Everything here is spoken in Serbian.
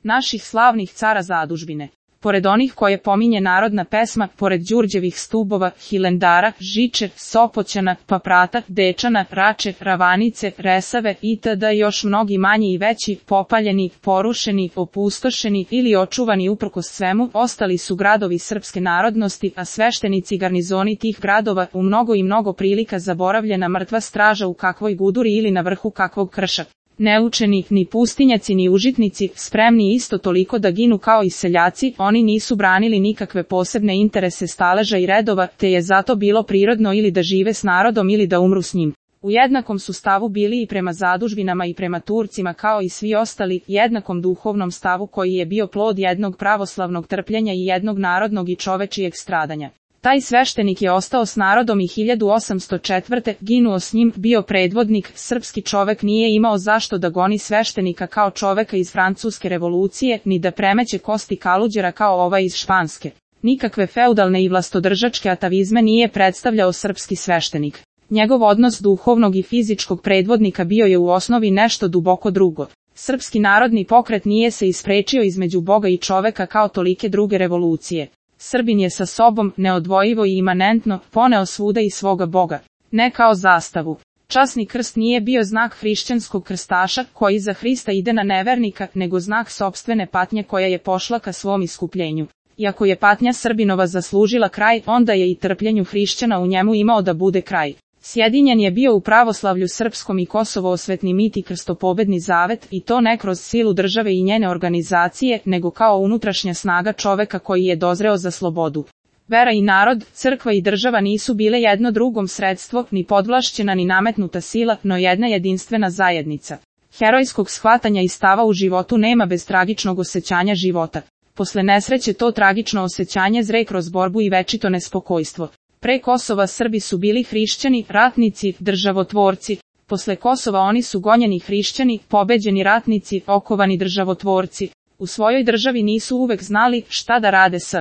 naših slavnih cara zadužbine. Pored onih koje pominje narodna pesma, pored Đurđevih stubova, Hilendara, Žiče, Sopoćana, Paprata, Dečana, Rače, Ravanice, Resave itd. Još mnogi manji i veći, popaljeni, porušeni, opustošeni ili očuvani uprkos svemu, ostali su gradovi srpske narodnosti, a sveštenici i garnizoni tih gradova, u mnogo i mnogo prilika zaboravljena mrtva straža u kakvoj guduri ili na vrhu kakvog krša. Neučeni, ni pustinjaci ni užitnici, spremni isto toliko da ginu kao i seljaci, oni nisu branili nikakve posebne interese staleža i redova, te je zato bilo prirodno ili da žive s narodom ili da umru s njim. U jednakom su stavu bili i prema zadužbinama i prema Turcima kao i svi ostali, jednakom duhovnom stavu koji je bio plod jednog pravoslavnog trpljenja i jednog narodnog i čovečijeg stradanja. Taj sveštenik je ostao s narodom i 1804. ginuo s njim, bio predvodnik, srpski čovek nije imao zašto da goni sveštenika kao čoveka iz Francuske revolucije, ni da premeće kosti Kaluđera kao ovaj iz Španske. Nikakve feudalne i vlastodržačke atavizme nije predstavljao srpski sveštenik. Njegov odnos duhovnog i fizičkog predvodnika bio je u osnovi nešto duboko drugo. Srpski narodni pokret nije se isprečio između Boga i čoveka kao tolike druge revolucije. Srbin je sa sobom, neodvojivo i imanentno, poneo svuda i svoga Boga. Ne kao zastavu. Časni krst nije bio znak hrišćanskog krstaša, koji za Hrista ide na nevernika, nego znak sopstvene patnje koja je pošla ka svom iskupljenju. Iako je patnja Srbinova zaslužila kraj, onda je i trpljenju hrišćana u njemu imao da bude kraj. Sjedinjen je bio u pravoslavlju srpskom i Kosovo osvetni mit i krstopobedni zavet, i to ne kroz silu države i njene organizacije, nego kao unutrašnja snaga čoveka koji je dozreo za slobodu. Vera i narod, crkva i država nisu bile jedno drugom sredstvo, ni podvlašćena ni nametnuta sila, no jedna jedinstvena zajednica. Herojskog shvatanja i stava u životu nema bez tragičnog osjećanja života. Posle nesreće to tragično osjećanje zre kroz borbu i večito nespokojstvo. Pre Kosova Srbi su bili hrišćani, ratnici, državotvorci. Posle Kosova oni su gonjeni hrišćani, pobeđeni ratnici, okovani državotvorci. U svojoj državi nisu uvek znali šta da rade s